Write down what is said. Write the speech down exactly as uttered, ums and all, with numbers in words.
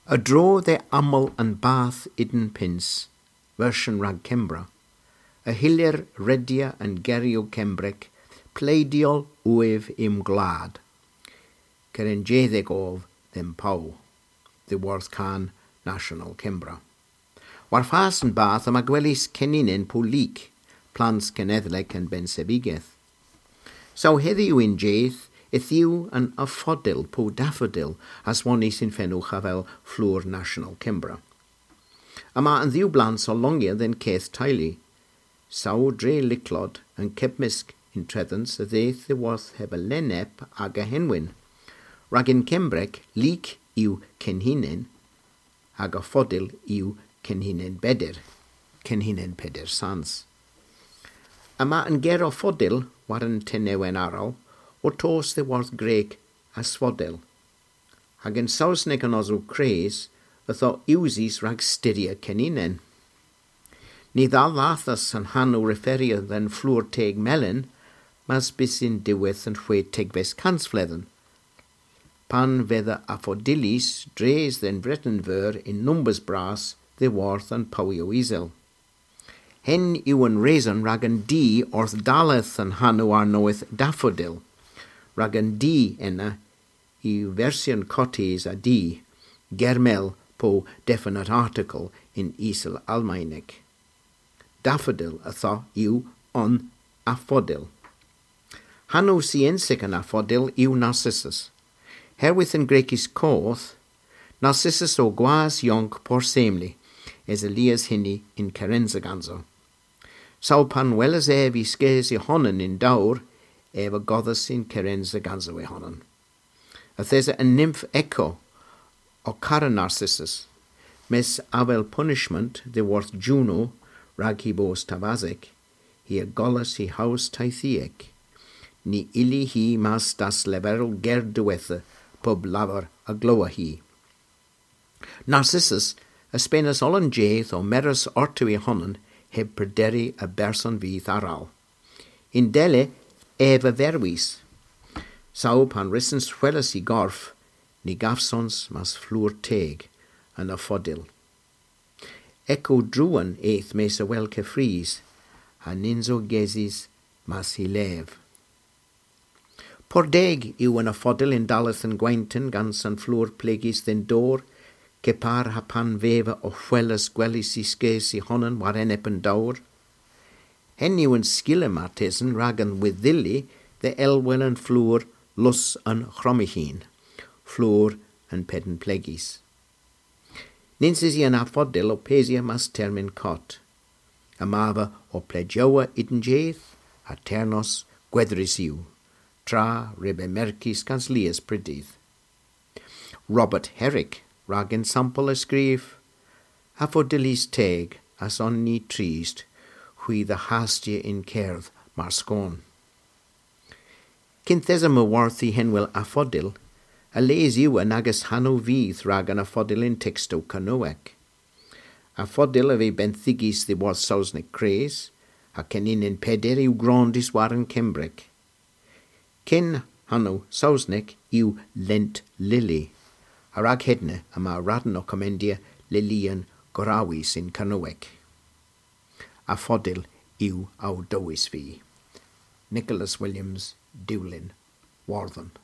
A-dro dhe amal an bath Eden Pyns, versyon rag Kembra, y hyllir redya an geryow Kembrek pleidyol uiv y'm gwlad, kerenseythek ov dhe'm pow, dhyworth Kan National Kembra. War fas an bath yma gwelys keninen po lig, plans kenedhlek an bensevigeth. Saw hedhyw y'n jydh, yth yw an affodil po daffodil aswonnys yn fenowgh avel flour National Kembra. Yma an dhew blans ow longya dhe'n keth teylu. Saw dre lycklod an kepmysk yntredhans a dheuth dhyworth heb a lennep aga henwyn. Rag yn Kembrek, lig yw kenhinen, hag affodil yw kenhinen beder, kenhinen peder sans. Yma an ger affodil war an tenewen arall, ow tos dhyworth Grek asphodel. Hag yn Sowsnek an Osow Kres, yth o usys rag styrya keninen. Ny dhallethas an hanow referya dhe'n flour teg melyn, mas bys yn diwedh an hwetegves kansvledhen, pan veu affodilys dres dhe'n Vreten Veur yn numbers bras dhyworth an powyow isel. Henn yw an reson rag an D orth dalleth an hanow arnowydh daffodil, rag an D ena yw versyon kottys a D, germel po definite article yn isel Almaynek. Daffodil ytho yw an affodil. Hanow syensek an affodil yw Narcissus. Herwydh an Grekis koth, Narcissus o gwas yonk porsemli, esa lies hynni yn kerensa ganso. Saw pan welas ev y skes y honan yn dowr, ev a godhas yn kerensa ganso y honan. Yth esa an nymf Echo ow kara Narcissus, mes avel punishment dhyworth Juno rag hy bos tavasek, hi a gollas hy hows teythyek. Ny ylli hi mas dasleverel ger diwettha pub lavar a glowa hi. Narcissus a spenas oll an jydh ow meres orto y honan heb prederi a berson vyth arall. Yndella ev a verwis. Saw pan wrussons hweles y gorf, ny gavsons mas flour teg, an affodil. Echo druan eth mes a wel keffrys, ha nyns o gesys mas hy lev. Pur deg yw an affodil yn dalleth an gwenton gans an flour plegys dhe'n dor, kepar ha pan veva ow hweles gwelys y skes y honan war enep an dowr. Henn yw an skila martesen rag an wedhylli dhe elwel an flour lus an chromihin, flour an pedn plegys. Nyns usi an affodil ow pesya mas termyn kott. Yma ev ow plegyowa y'n jydh, ha ternos gwedhrys yw, tra re beu merkys gans lies prydydh. Robert Herrick rag ensampel a skrif: Affodilys teg, a's on ni trist, hwi dhe hastya yn kerdh mar skon. Kynth esa my wartha henwel affodil, a les yw an agas hanow vyth rag an affodil yn tekstow Kernowek. Affodil a veu benthigys dhyworth Sowsnek kres, ha keninen peder yw grondys war an Kembrek. Ken hanow Sowsnek yw Lent Lily, ha rag hedna yma radn ow komendya lilyon gorrewys yn Kernowek. Affodil yw ow dowes vy. Nicholas Williams, Dulyn, Wordhen.